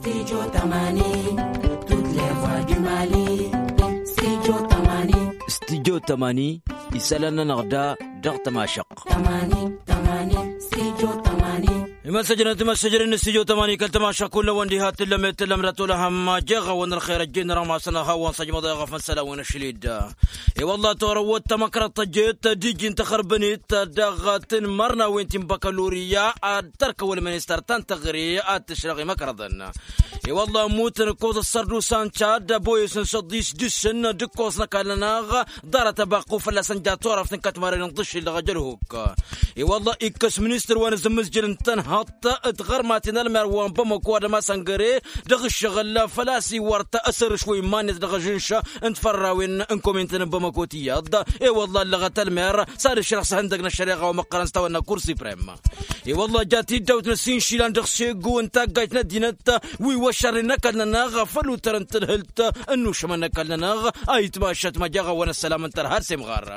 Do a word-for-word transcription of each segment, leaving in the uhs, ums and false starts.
Studio tămani. Tut levoi du mali. Studio tămani. Studio tămani. Isălan-nănăɣ da dăɣ-tămašăɣt. Tămani tămani. Studio tămani. Imăssăjnăt imăssăjnăt n-studio tămani kăl-tămašăɣt kull-năwăn diha tǝllăm i-tǝllăm d-atolăhăm jeɣ-awăn ălxer ăjjeen n-rămasăn ad-hawăn-săjmăḍ i-aɣăfăn sălan-wăn ašled. I-wălla torăwăt tamăkrăḍt tăjjet d-iji n-taxărbănet dăɣ-tǝnmărnawen ti n-băkălurya ad-tărkăwăl ministăr ta n-taɣre ad-tǝšrăɣ imăkrăḍăn. I-wălla ămmutăn ǝkkoẓ ăssărdusa n-čad ăboyăs n-săḍis dăɣ-săn d-ǝkkoẓ n-ăkall-nănăɣ ḍarăt ăbaqq u-fălla-săn ja turăft n-kătmarăn n-ḍǝššǝl dăɣ-ajălhuk. I-wălla ikkăs ministăr wa n-azǝmmǝzjǝl n-tănhăḍt d-tiɣărmaten ălmer wa n-bamăko ad-ămasăngăre dăɣ-ǝššăɣǝl făl-a-s iwăr-t asărǝš wa iman-net dăɣ-ažǝnš n-tifărrawen n-komintăn n-bamăko tiyyăḍ. I-wălla ăllăɣăt ălmer s-ad-ǝšrăɣ s-ehăndăg n-ăššăreɣa wa măqqărăn s-tawănna kur siprem. I-wălla jat-dd awǝtnăs inšila n-dăɣ-segu n-taggayt n-ăddinăt wi wăššărnen n-ăkall-nănăɣ făll-utăr n-tǝlhǝlt n-inušămăn n-ăkall-nănăɣ. Ayǝtmašăt ma jaɣ-awăn ăssălam n-tărha d-semɣar.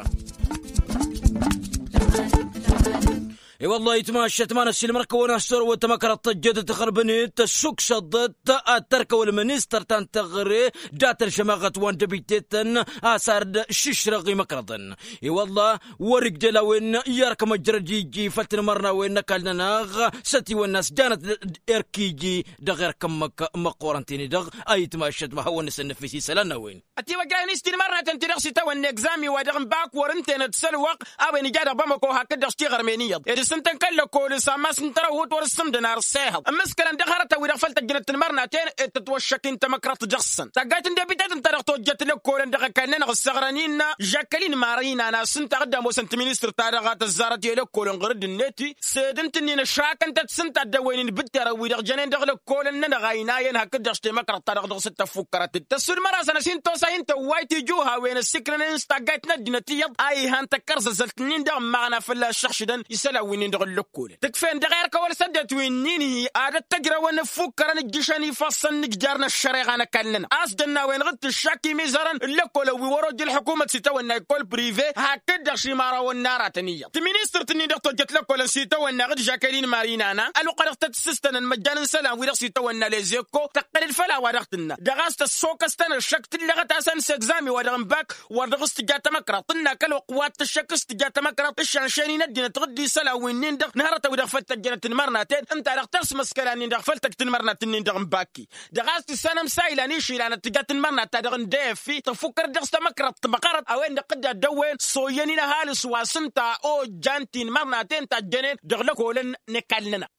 I-wălla ayǝtmašăt ma n-ăssiilmăr-kăwăn a-s torăwăt tamăkrăḍt tăjjăt d-taxărbănet tăssuksăḍăt ad-tărkăwăl ministăr ta n-taɣre dat-ălžămaɣăt wa n-dăbitetăn a-s ar dd-šǝšrăɣ imăkrăḍăn. I-wălla wăr-ǝjjăl a-wen i-ărk măjrăd iji făll-tinmărnawen n-ăkall-nănăɣ s-ătiwănna s-janăt d-erk iji dăɣ-erk ǝmmǝk măqqoorăn-ten-i-dăɣ. Ayǝtmašăt ma hawăn-nǝsǝnnăfis isălan n-a-wen. Ătiwăjrăhăn-i s-tinmărnaten-ti-dăɣ s-itawănna egzami wa dăɣ-n bak wăr ǝntenăt s-ălwăqq a-wen ija dăɣ-bamăko hakd-dăɣ s-tiɣărmen iyyăḍ ed s-ǝntăn kăl-lăkkol s-ammas n-tărăhut wăr-ǝssǝmdăn ar s-ehăḍ ǝmmǝskălăn dăɣ-hărătăn-wi-dăɣ făll-tăjjănăt tinmărnaten ed tătwăššăk-in tamăkrăḍt dăɣ-săn taggayt n-debităt ǝnta-dăɣ tojjăt lăkkolăn dăɣ-ăkall-nănăɣ ǝssăɣrăn-in žakălin mari n-anas ǝnta a dd-ămoosăn tiministrǝt-ta-dăɣ a tăzzarăt i-lăkkolăn ɣur-dd-net sed ǝntǝnnin ăššakăn-tăt s-ǝnta a dd-ăwwăynen bǝtterăn wi-dăɣ jănen dăɣ-lăkkolăn-nănăɣ a inayăn hakd-dăɣ s-temăkrăḍt-ta-dăɣ dăɣ-s dd-tăffukkărăt-dd tăssulmăr-asăn ăsintosay n-tăwwayt tijuhawen ăssikrănen s-taggayt n-ăddinăt iyyăḍ a ihan tăkkărzăzălt-nin-dăɣ ǝmmaɣna fălla-s šăɣšǝdăn isălan wi-nin-dăɣ n-lăkkolăn tǝkfen dăɣ-erk a wăr-săddetwin-nin-hi ad-ăttăjrăwăn ǝffukkărăn ǝjjǝšăn ifassăn n-ǝjjar n-ăššăreɣa n-ăkall-nănăɣ a-s dăɣ-nawăyăn ɣǝd-tǝššak imizărăn n-lăkkolăn wi wăr-ojja ălḥukumăt s-itawănna ikkol prive hakd-dăɣ šimărawăn n-aratăn iyyăḍ tiministărt-nin-dăɣ tojjăt lăkkolăn s-itawănna ɣǝd žakălin marinana ălwăqq-a-dăɣ tăt-sǝstănăn măjjan n-isălan-wi-dăɣ s-itawănna lezeko tăqqăl-dd făll-a-wa dăɣ-tǝnna dăɣ-a-s tăssokăs-tăn ăššăk tǝllăɣăt-asăn s-egzami wa dăɣ-n bak wăr dăɣ-s tǝja tamăkraḍt tǝnna kăl-wăqq wa t-ǝššăk s-tǝja tamăkraḍt ǝššănšen-in ăddinăt ɣǝdd-isălan wi-nin-dăɣ n-hărătăn-wi-dăɣ făll-tăjjănăt tinmărnaten ǝnta-dăɣ ters măskăla-nin-dăɣ făll-tăj tinmărnat-nin-dăɣ n-baki dăɣ-a-s tǝssanăm s-a ilan išila n-ad-tǝja tinmărnat-ta-dăɣ n-d f tăfukkăr-dd dăɣ-s tamăkraḍt tibăqărăt a-wen-dăɣ tǝdda dd-ăwwen s-oyyăn-in ăhalǝs wa s-ǝnta ojjan tinmărnaten ta ăjjănen dăɣ-lăkolăn n-ăkall-nănăɣ.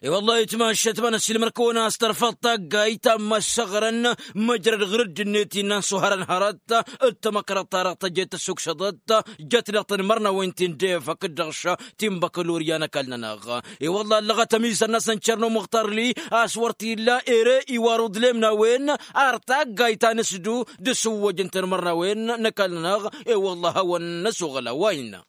I-wăllah itmaššăt ma n-ăssiilmăr-kăwăn a-s tărfăḍ taggayt ta n-măssăɣrăn măjrăd ɣur-dd-net innă n-suhărăn hărăt d-tamăkrăḍt-ta-dăɣ tăjjet tăssuksăḍăt jăt dăɣ-tinmărnawen ti n-def hakd-dăɣ-š ti n-băkălurya n-ăkall-nănăɣ. I-wăllah ăllăɣăt ămizăr-năsăn cerno muxtar-li a-s wăr t-illa ere iwar uḍlem n-a-wen ar taggayt ta n-asǝdu d-asǝwwăj n-tinmărnawen n-ăkall-nănăɣ. I-wăllah a hawăn-năsoɣăl a-wa innă.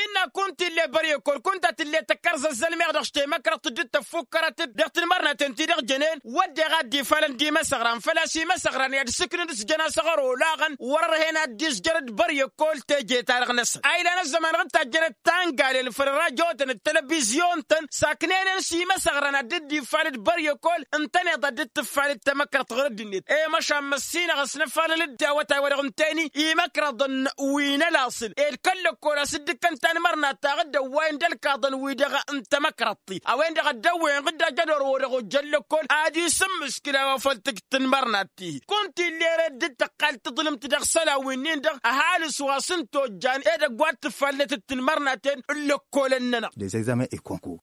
Innă kunta ill'-e băryăkol kunta t-ill'-e tăkkărzăzzălmeɣ dăɣ-s temăkrăḍt dd-tăffukkărăt-dd dăɣ-tinmărnaten-ti-dăɣ jănen wădden ad-dd-ifalăn d-imăsăɣran făl-a-s imăsăɣran i-ad-sǝknǝn s-jăn asăɣăr olaɣăn wăr-ărhen ad-dd-izjărăd băryăkol teje-ta-dăɣ-năsăn a ilan ăzzăman ɣǝd tajjănăt tangalel făll-rajotăn d-telăbizyon-tăn saknenen s-imăsăɣran ad-dd-ifalăd băryăkol ǝntăneḍ ad-dd-tǝfalăd tamăkrăḍt ɣur-dd-net i-măšan măssinăɣ ăsnăfalăl-dd awătay-wa-dăɣ ǝntăyăn-i imăkrăḍăn wi n-ălaṣǝl ed kăl-lăkkol a-s dd-ǝkkăn tanmărnat ta ɣǝd-ăwwayăn d-ălkaḍăn-wi-dăɣ n-tamăkrăḍt-i a-wen-dăɣ a dd-ăwwăyăn ɣǝd ajădor-wăr-dăɣ ojjăn lăkkol ad-isǝmmǝskǝl a-wa făl tǝjj tǝnmărnat-ti-hi kunta ill'-e ere dd-tăqqal taḍlǝmt dăɣ-isălan wi-nin-dăɣ ăhalǝs wa s-ǝnta ojjan edăgg wa t-tǝffalnet d-tǝnmărnaten n-lăkkolăn-nănăɣ. Des examens et concours.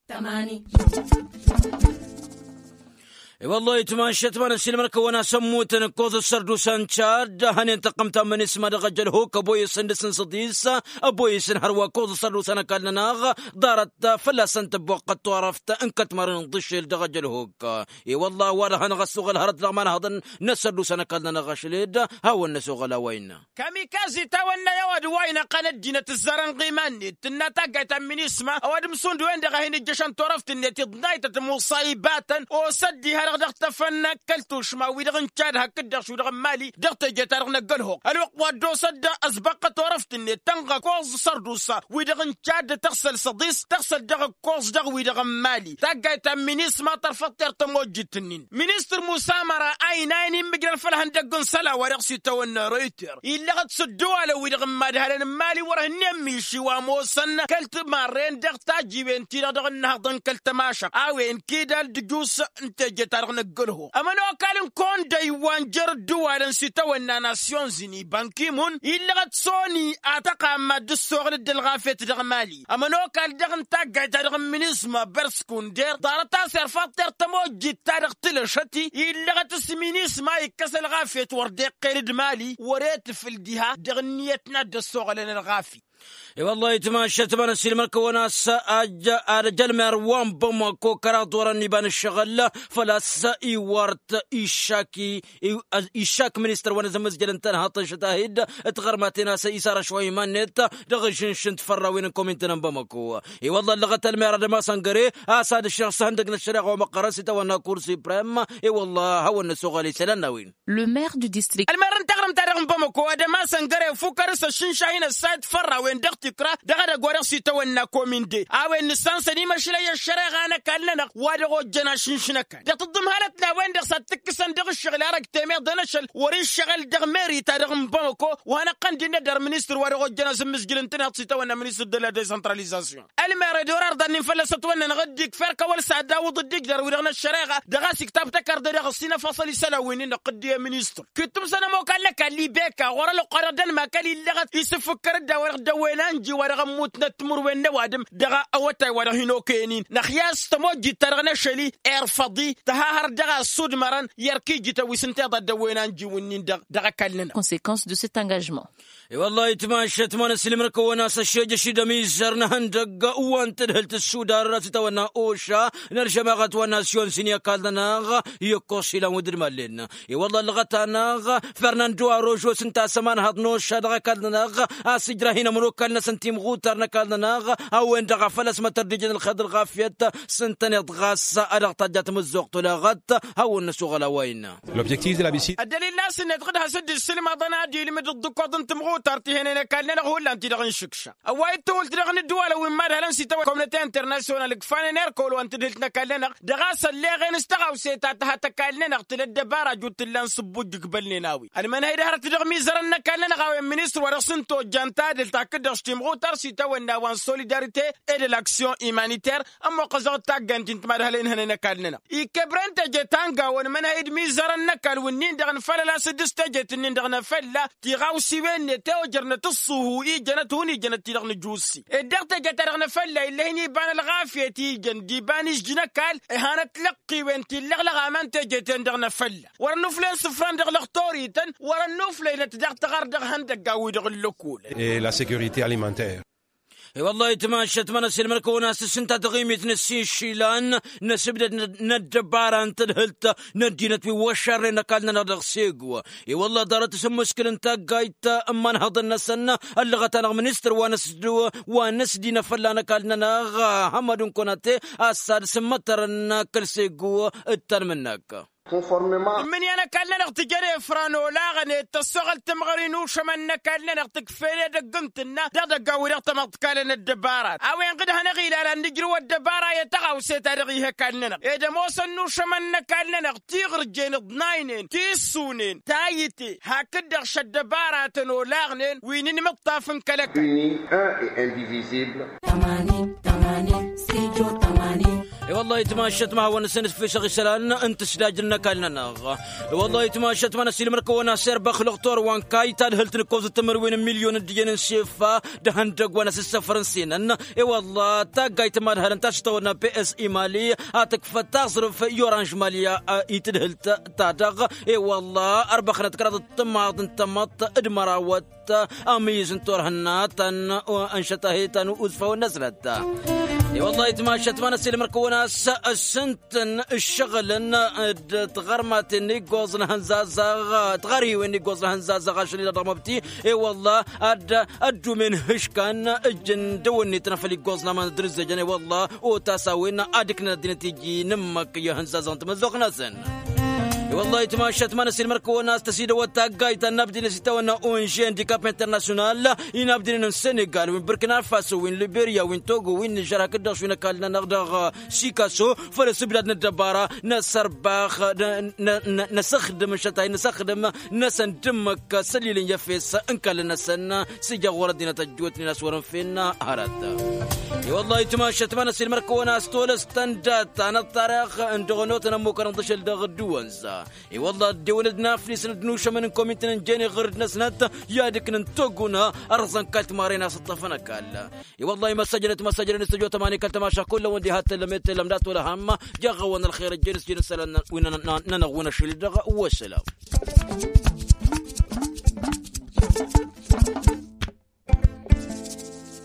I-wăllah itmaššăt ma n-ăssiilmăr-kăwăn a-s ămmutăn ǝkkoẓ ăssărdusa n-čad hănen tăqqǝmt ta n-mănisma dăɣ-ajălhuk ăboyăsăn dăr-s n-săḍis ăboyăsăn hărwa ǝkkoẓ ăssărdusa n-ăkall-nănăɣ ḍarăt fălla-săn tăbboqqăt turăft n-kătmărăn n-iḍǝšel dăɣ-ajălhuk. I-wăllah a-wa dăɣ-hanăɣ-ăssoɣăl hărăt dăɣ-imanhăḍăn n-ăssărdusa n-ăkall-nănăɣ ašăl ed hawăn-năsoɣăl a-wa innă. Kămikaz itawănna i-a-wa d-wa inăqqăn ăddinăt ǝzzarăn ɣiman-net tǝnna taggayt ta n-minisma ăwadǝm šund wen-dăɣ a hin-ǝjjăšăn turăft-net iḍnaytăt musa ibatăn osă-dd diha-dăɣ. dăɣ-tăfăn kăl-tušma wi-dăɣ n-cad hakd-dăɣ šudăɣ n-mali dăɣ-teje-ta-dăɣ n-ăggălho ălwăqq wa dd-osăt-dd ăsbăqqăt orăft-net tănɣa kuẓ sărdus wi-dăɣ n-cad tăɣsăl săḍis tăɣsăl dăɣ-kuẓ dăɣ-wi-dăɣ n-mali taggayt ta n-minisma tărfăḍ-t-er tămojjit-nin ministăr musa măra a inayăn immǝjrăn făll-ihăndăgg n-isălan wa dăɣ-s itawănna reuter illăɣăt s-ădduwalăn wi-dăɣ n-imadhalăn n-mali wăr-hǝnnin miši wa ămoosăn kăl-timarren dăɣ-tajiwen-ti-dăɣ dăɣ-ǝnnăhăḍăn kăl-tămašăɣt a-wen kidal d-ǝjus n-teje-ta-dăɣ n-ăggălho ămănokal n-kondăy wa n-jer-ădduwalăn s-itawănna nasyonzini bankimun illăɣăt soni atăqqa n-mad-dd-ăssoɣăl dd-ălɣafyăt dăɣ-mali ămănokal dăɣ-n taggayt-ta-dăɣ n-minisma bărskunder ḍarăt-as irfaḍ-t-er tămojjit-ta-dăɣ tilăšăt-i illăɣăt s-minisma ikkăs ălɣafyăt wăr dd-iqqel d-mali wăr e-tǝfǝl diha dăɣ-ǝnniyăt n-ad-dd-ăssoɣălăn ălɣafyăt. I-wăllah itmašăt ma n-ăssiilmăr-kăwăn a-s ajj ad-ăj ălmer wa n-bamako kăraḍ wărăn iba n-ǝššăɣǝl făl-a-s iwăr-t iššak-i iššak ministăr wa n-azămmăzjăl n-tănhăḍt ăššăt-ahid tiɣărmaten a-s isarăš wa iman-net dăɣ-ažǝnš n-tifărrawen n-komintăn n-bamako. I-wăllah ăllăɣăt ălmer ad-ămasăn găre a-s ad-ǝššăɣ s-ihăndăg n-ăššăreɣa wa măqqărăn s-itawănna kur siprem. I-wăllah a hawăn-năsoɣăl isălan n-a-wen. L'mer du district ălmer n-taɣrǝmt-ta-dăɣ n-bamako ad-ămasăn găre fukăr s-ăššǝnša hin-ăssayăt fărrawen dăɣ-tikra dăɣ-edăgg wa dăɣ-s itawănna kominde a-wen nǝssansăn imăšlăy ăššăreɣa n-ăkall-nănăɣ wa dăɣ-ojjăn ašǝnš n-ăkall dăɣ-tǝḍǝmhalăt n-a-wen-dăɣ s-ad-t-ǝkkǝsăn dăɣ-ǝššăɣǝl arăg temeḍ ănăšăl wăr-iššăɣǝl dăɣ-meri-ta-dăɣ n-bamako wa hanăɣ-tăn-dd-innă d-ar ministăr wa dăɣ-ojjăn asǝmmǝzjǝl n-tinhăḍt s-itawănna ministăr d-ladezăntralizasyon. Ălmer ed orăr ḍannin fălla-s ătwănnănăɣ dd-ikfer kăwăl s-ad-awǝḍ dd-igdăr wi-dăɣ n-ăššăreɣa dăɣ-a-s iktăb tăkarḍe dăɣ-ăssinăfăṣăl isălan wi n-innăɣ qǝddiye ministăr. Kittum săn ămokal n-ăkall ibeka ɣur-ălwăqq wa dăɣ-dănmakăl illăɣăt isǝfǝkkăr-dd a-wa-dăɣ dăwwen a ǝnji wa dăɣ-ămmutnăt timǝrwen n-ăwadǝm dăɣ-awătay wa dăɣ-hin-okăyăn-in năxyas tămojjit-ta-dăɣ n-ašăl-i irfăḍ-i tăhahăr dăɣ-a ăssudmărăn i-ărkijităn wi s-ǝnta iḍa dd-ăwwen a ǝnji wǝnnin-dăɣ dăɣ-ăkall-nănăɣ. Conséquence de cet engagement. I-wăllah itmašăt ma n-ăssilmăr-kăwăn a-s ăššejăš idăm izzăr n-ehăndăgg wa n-tadhǝlt ăssudar a-s itawănna oša n-ălžămaɣăt wa n-nasyon sǝnni ăkall-nănăɣ i-ăkkošš ilan wăr dd-mallen. I-wăllah ăllăɣăt-anăɣ fernando arožo s-ǝnta a-s ămanhăḍ n-oša dăɣ-ăkall-nănăɣ a-s ǝjrah-in ămănokal-năsăn timɣutar n-ăkall-nănăɣ a-wen-dăɣ a făl ăsmătăr d-ijăn ălxer d-ălɣafyăt s-ǝntăneḍ ɣas a dăɣ-tajja tamǝzzuɣt oleɣăt. Hawăn-năsoɣăl a-wa innă. Ăddălil n-asǝnnet ɣǝd has-dd-issǝlmăḍăn ad-ilmǝd ǝḍḍǝkkoḍ n-timɣutart ihănen ăkall-nănăɣ hullan-ti-dăɣ n-išǝkša ăwway d-tawǝlt dăɣ-inǝddǝwalăn wi n-imadhalăn s-itawănna komnăte internasyonal ǝkfanen erkol wa n-tadhǝlt n-ăkall-nănăɣ dăɣ-a-s ălleɣen s-taɣawse ta tǝhat ăkall-nănăɣ tǝla ăddăbara jut t-ǝllan s-ǝbbuj ǝkbălnen a-wen ălmănhăy d-hărăt dăɣ-imizărăn n-ăkall-nănăɣ a-wen ministăr wa dăɣ-s n-tojjan tadhǝlt hakd-dăɣ s-timɣutar s-itawănna wa n-solidarite e de l-aksyon imaniter ămmoqqăzăɣ d-taggant-in timadhălăy n-hănen ăkall-nănăɣ. Ikebren teje ta n-gawăn mănhăy d-imizărăn n-ăkall wǝnnin-dăɣ n-fălăl a-s dd-s tejet-nin-dăɣ n-efălla tiɣawsiwen-net i-ojărnăt ǝṣṣuhu ijănăt hun ijănăt-ti-dăɣ n-ǝjussi ed dăɣ-teje-ta-dăɣ n-efălla ill'-e-hin iba n-ălɣafyăt ijăn d-iba n-ižj n-ăkall. Ihanăt lăqqiwen ti ǝllăɣlăɣ aman teje-ten-dăɣ n-efălla wăr-ănnuflăy n-isǝfran dăɣ-lăxtorităn wăr-ănnuflăynăt daɣ-tăɣar dăɣ-ihăndăggan-wi-dăɣ ǝllăkulăn. E la sécurité alimentaire. I-wăllah itmašăt ma n-ăsilmăr-kăwăn a-s s-ǝnta taɣimit n-ăssiššilan n-asǝbdăd n-ăddăbara n-tadhǝlt n-ăddinăt wi wăššărnen ăkall-nănăɣ dăɣ-segu. I-wăllah ḍarăt s-ǝmmǝskǝl n-taggayt n-imanhăḍăn-năsăn ăllăɣăt-anăɣ ministăr wa n-ăsdinăfălla n-ăkall-nănăɣ hămmăd n-konate a-s ad-sǝmmătărăn kăl-segu d-tanmǝnnak. Ǝmmǝnǝya n-ăkall-nănăɣ tǝjăn efran olaɣăn ed tăssoɣăl timɣări n-ušămăn n-ăkall-nănăɣ tǝkf'-en edăgg n-tǝnna dăɣ-idăggan-wi-dăɣ tamăḍt kalăn ăddăbara a-wen ɣǝd hanăɣ-ilalăn nǝjrǝw ăddăbara i-tăɣawse-ta-dăɣ ih'-e ăkall-nănăɣ ed ămoosăn n-ušămăn n-ăkall-nănăɣ tiɣǝrjen ǝḍnaynen tissunen tayǝte hakd-dăɣ šăddăbaratăn olaɣnen wi n-inmǝṭṭaf n-kăl-ăkall. I-wăllah itmašăt ma hawăn-năsăn ǝfisăɣ isălan n-tǝsdajrǝn n-ăkall-nănăɣ. I-wăllah itmašăt ma n-ăsilmăr-kăwăn a-s erbăx lăxtor wa n-kayy tadhǝlt n-ǝkkoẓăt timǝrwen n-milyon d-iyyăn n-sefa d-ihăndăgg wa n-asǝssăfăr n-senăn. I-wăllah taggayt n-imadhalăn ta s-tăwănna ps imali a tǝkfăt taẓrǝf i-oranž mali i-tadhǝlt-ta-dăɣ. I-wăllah ărbăxnăt kăraḍăt tǝmmaḍ n-tămăḍt d-mărawăt ămizǝn turhǝnna ta n-ǝnšăt a he-ta n-uzfawăn-năsnăt. I-wăllah itmašat ma n-ăssiilmăr-kăwăn a-s ăssǝntăn ǝššăɣǝlăn d-tiɣărmaten n-iggoẓ n-ahănzazaɣ tiɣărhiwen n-iggoẓ n-ahănzazaɣ ašăl-i-dăɣ dăɣ-măbti. I-wăllah ad-ăddumen hǝškan ǝjjǝn dăwănnet n-afăl iggoẓ n-aman d-inǝzzejăn i-wăllah otas a-wen ad-ǝknăn ăddinăt iji n-ǝmmăk i-ahănzazaɣ n-tamăzzuɣt-năsăn. I-wăllah itmašat ma n-ăssiilmăr-kăwăn a-s tăsidăwăt taggayt ta n-abdǝyăn s-itawănna onže n-dikap internasyonal. Inabdǝyăn n-senegal wi n-burkina faso wi n-liberya wi n-togo wi n-nižer hakd-dăɣ šwi n-ăkall-nănăɣ dăɣ-sikaso făll-asǝbdad n-ăddăbara n-asărbax n-asăxdǝm n-šătay n-asăxdǝm-năsăn d-ǝmmǝk săllilăn i-efes n-kall-năsăn. S-ija ɣur-ăddinăt ăjjootnen a-s wăr-ǝnfen hărăt. I-wăllah itmašat ma n-ăssiilmăr-kăwăn a-s tolăs tăndat ta n-ăṭṭarăɣ n-dăɣ-onotăn ămmukărăn d-ašăl dăɣ-dd-wănza. I-wăllah ăddewăn-dd n-afnisăn d-inušămăn n-komintăn n-jene ɣǝr-dd-năsnăt i-ad-ǝknǝn toguna ărẓăn kall-timaren a-s ǝṭṭăfăn ăkall. I-wăllah imăssăjănăt imăssăjănăn s-ăjjootăm a n-ikăl tămaša kull-awăn diha t-tăllăm i-t-tăllăm dat-wăla ham. Jaɣ-awăn ălxer ăjjeen s-jin isălan wi n-anăɣ-wăn ašăl-i-dăɣ. Wăssălam.